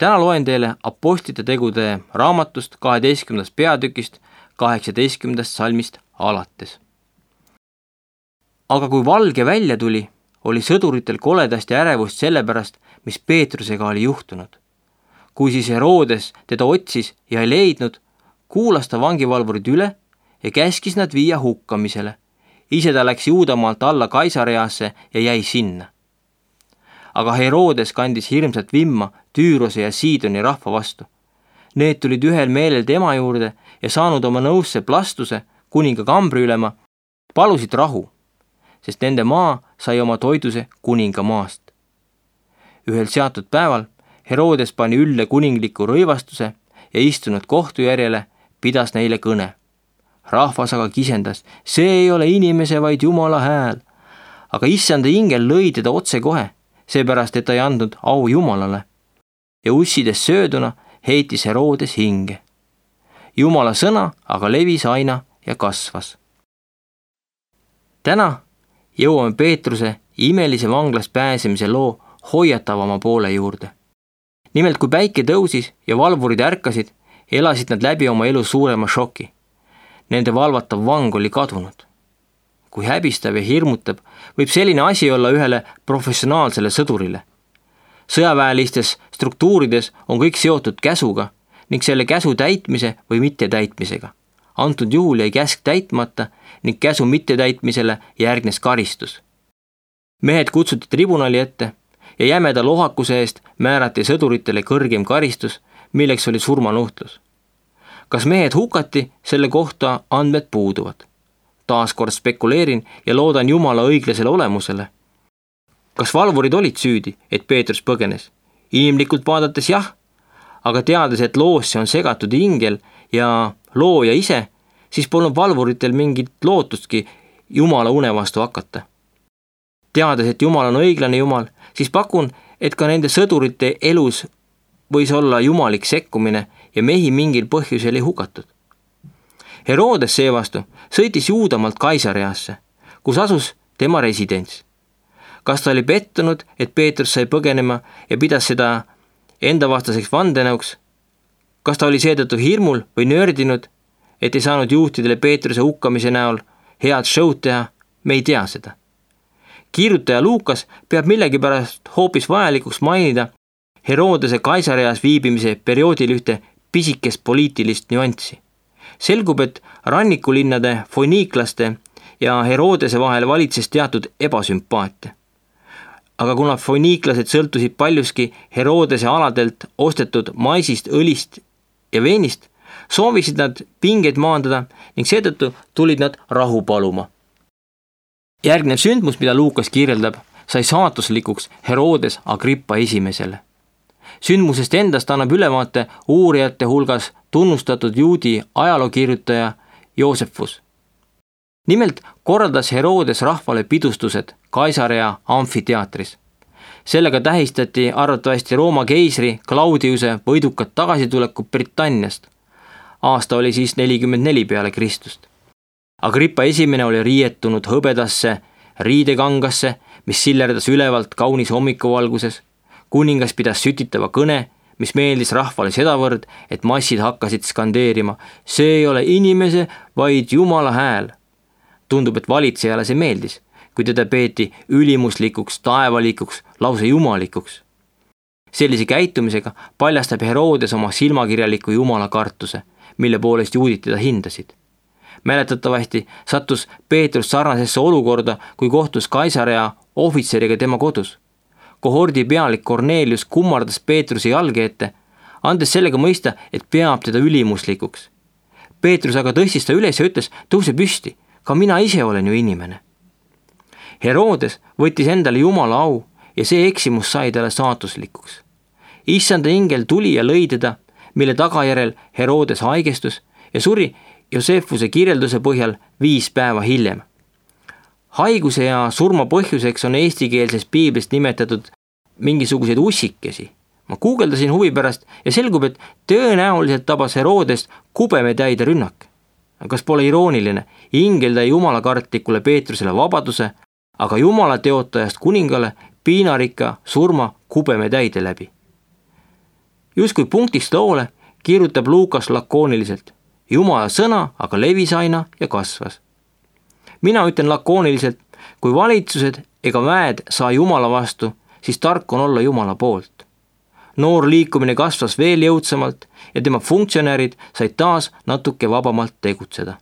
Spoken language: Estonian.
Täna loen teile Apostlite tegude raamatust 12. peatükist 18. salmist alates. Aga kui valge välja tuli, oli sõduritel koledasti ärevust sellepärast, mis Peetrusega oli juhtunud. Kui siis Herodes teda otsis ja ei leidnud, kuulas ta vangivalvurid üle ja käskis nad viia hukkamisele. Ise ta läks Juudamaalt alla Kaisareasse ja jäi sinna. Aga Herodes kandis hirmsat vimma Tüürose ja Siidoni rahva vastu. Need tulid ühel meelel tema juurde ja saanud oma nõusse Plastuse, kuninga kambriülema, palusid rahu, sest nende maa sai oma toiduse kuninga maast. Ühel seatud päeval Herodes pani ülle kuningliku rõivastuse ja istunud kohtujärjele pidas neile kõne. Rahvas aga kisendas, see ei ole inimese, vaid Jumala hääl. Aga issanda ingel lõi teda otse kohe, seepärast, et ta ei andnud au Jumalale. Ja ussides sööduna heitis Herodes hinge. Jumala sõna aga levis aina ja kasvas. Täna jõuame Peetruse imelise vanglast pääsemise loo hoiatavama poole juurde. Nimelt, kui päike tõusis ja valvurid ärkasid, elasid nad läbi oma elu suurema šoki. Nende valvatav vang oli kadunud. Kui häbistav ja hirmutab, võib selline asi olla ühele professionaalsele sõdurile. Sõjaväelistes struktuurides on kõik seotud käsuga ning selle käsu täitmise või mittetäitmisega. Antud juhul jäi käsk täitmata ning käsu mittetäitmisele järgnes karistus. Mehed kutsuti tribunali ette ja jämeda lohakuse eest määrati sõduritele kõrgem karistus, milleks oli surmanuhtlus. Kas mehed hukati, selle kohta andmed puuduvad. Taaskord spekuleerin ja loodan Jumala õiglasele olemusele. Kas valvurid olid süüdi, et Peetrus põgenes? Inimlikult vaadates jah, aga teades, et loosse on segatud ingel ja looja ise, siis polnud valvuritel mingit lootustki Jumala une vastu hakata. Teades, et Jumal on õiglane Jumal, siis pakun, et ka nende sõdurite elus võis olla jumalik sekkumine ja mehi mingil põhjusel ei hukatud. Herodes seevastu sõitis Juudamaalt Kaisareasse, kus asus tema residents. Kas ta oli pettunud, et Peetrus sai põgenema ja pidas seda enda vastaseks vandenõuks? Kas ta oli seetõttu hirmul või nördinud, et ei saanud juhtidele Peetruse hukkamise näol head show'd teha? Me ei tea seda. Kiirutaja Luukas peab millegipärast hoopis vajalikuks mainida Herodese Kaisareas viibimise perioodil ühte pisikest poliitilist nüanssi. Selgub, et rannikulinnade foniiklaste ja Herodese vahel valitses teatud ebasümpaatia. Aga kuna foniiklased sõltusid paljuski Herodese aladelt ostetud maisist, õlist ja veinist, soovisid nad pingeid maandada ning seetõttu tulid nad rahu paluma. Järgnev sündmus, mida Luukas kirjeldab, sai saatuslikuks Herodes Agrippa esimesele. Sündmusest endast annab ülevaate uurijate hulgas tunnustatud juudi ajalookirjutaja Joosefus. Nimelt korraldas Herodes rahvale pidustused Kaisarea amfiteatris. Sellega tähistati arvatavasti Rooma keisri Claudiuse võidukat tagasitulekut Britanniast. Aasta oli siis 44 peale Kristust. Agrippa esimene oli riietunud hõbedasse riidekangasse, mis sillerdas ülevalt kaunis hommikuvalguses. Kuningas pidas sütitava kõne, mis meeldis rahvale sedavõrd, et massid hakkasid skandeerima. See ei ole inimese, vaid Jumala hääl. Tundub, et valitsejale see meeldis, kui teda peeti ülimuslikuks, taevalikuks, lause jumalikuks. Sellise käitumisega paljastab Herodes oma silmakirjaliku Jumala kartuse, mille poolest juudid teda hindasid. Mäletatavasti sattus Peetrus sarnasesse olukorda, kui kohtus Kaisarea ohvitseriga tema kodus. Kohordi pealik Kornelius kummardas Peetruse jalge ette, andes sellega mõista, et peab teda ülimuslikuks. Peetrus aga tõstis ta üles ja ütles, tõuse püsti, ka mina ise olen ju inimene. Herodes võttis endale Jumala au ja see eksimus sai talle saatuslikuks. Issanda ingel tuli ja lõi teda, mille tagajärel Herodes haigestus ja suri Joosefuse kirjelduse põhjal 5 päeva hiljem. Haiguse ja surma põhjuseks on eestikeelses piiblist nimetatud mingisuguseid ussikesi. Ma guugeldasin huvi pärast ja selgub, et tõenäoliselt tabas Herodest kubemetäide rünnak. Kas pole irooniline? Ingel tõi jumalakartlikule Peetrusele vabaduse, aga Jumala teotajast kuningale piinarikka surma kubemetäide läbi. Justkui punktist loole kirjutab Luukas lakooniliselt. Jumala sõna aga levis aina ja kasvas. Mina ütlen lakooniliselt, kui valitsused ega väed saa Jumala vastu, siis tark on olla Jumala poolt. Noor liikumine kasvas veel jõudsamalt ja tema funktsionäärid said taas natuke vabamalt tegutseda.